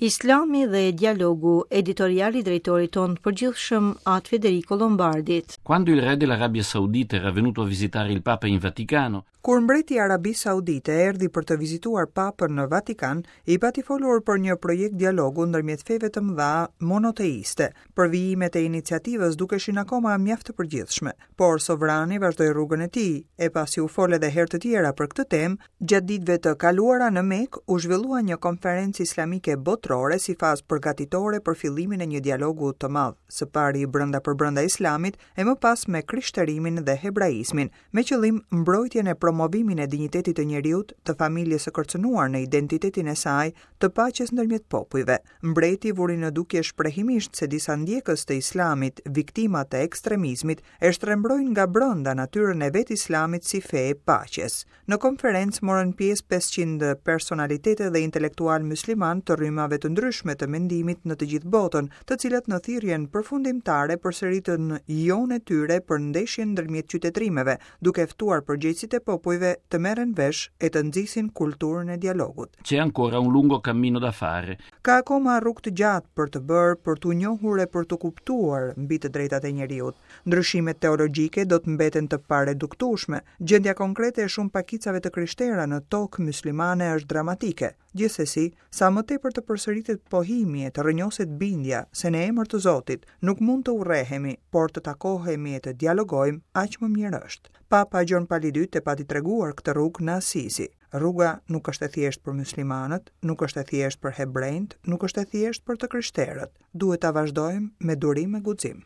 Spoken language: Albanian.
Islami dhe dialogu, editorial i drejtorit tonë të përgjithshëm At Federico Lombardit. Quando il re dell'Arabia Saudita era venuto a visitare il Papa in Vaticano, Kur mbreti i Arabisë Saudite erdhi për të vizituar Papën në Vatikan, i pati folur për një projekt dialogu ndërmjet feve të mëdha monoteiste. Përvijimet e iniciativës dukeshin akoma mjaft të përgjithshme, por sovrani vazhdoi rrugën e tij, e pasi u fol edhe herë të tjera për këtë temë, Gjatë ditëve të kaluara në Mekë u zhvillua një konferencë islamike botërore si fazë përgatitore për fillimin e një dialogu të madh, së pari brenda për brenda Islamit e më pas me krishterimin dhe hebraizmin, me qëllim mbrojtjen e promovimin e dinjitetit të njeriut, të familjes së kërcënuar në identitetin e saj, të paqes ndërmjet popujve. Mbreti vuri në dukje shprehimisht se disa ndjekës të Islamit, viktima të ekstremizmit, e shtrembrojnë nga brenda natyrën e vetë Islamit si fe e paqes. Në konferencë morën pjesë 500 personalitete dhe intelektualë myslimanë të rrymave të ndryshme të mendimit në të gjithë botën, të cilët në thirrjen përfundimtare përsëritën jo-në e tyre për ndeshjen ndërmjet qytetërimeve, duke ftuar përgjegjësit e popujve të merren vesh e të nxisin kulturën e dialogut. C'è ancora un lungo cammino da fare. Ka akoma rrugë të gjatë për të bërë, për t'u njohur e për t'u kuptuar mbi të drejtat e njeriut. Ndryshimet teologjike do të mbeten të pareduktueshme. Gjendja konkrete e shumë pakicave të krishtera në tokë myslimane është dramatike. Gjithsesi, sa më tepër të përsëritet pohimi e të rrënjoset bindja se në emër të Zotit nuk mund të urrehemi, por të takohemi e të dialogojmë, aq më mirë është. Papa Gjon Pali II e pati treguar këtë rrugë në Asizi. Rruga nuk është e thjeshtë për myslimanët, nuk është e thjeshtë për hebrenjtë, nuk është e thjeshtë për të krishterët. Duhet ta vazhdojmë me durim e guxim.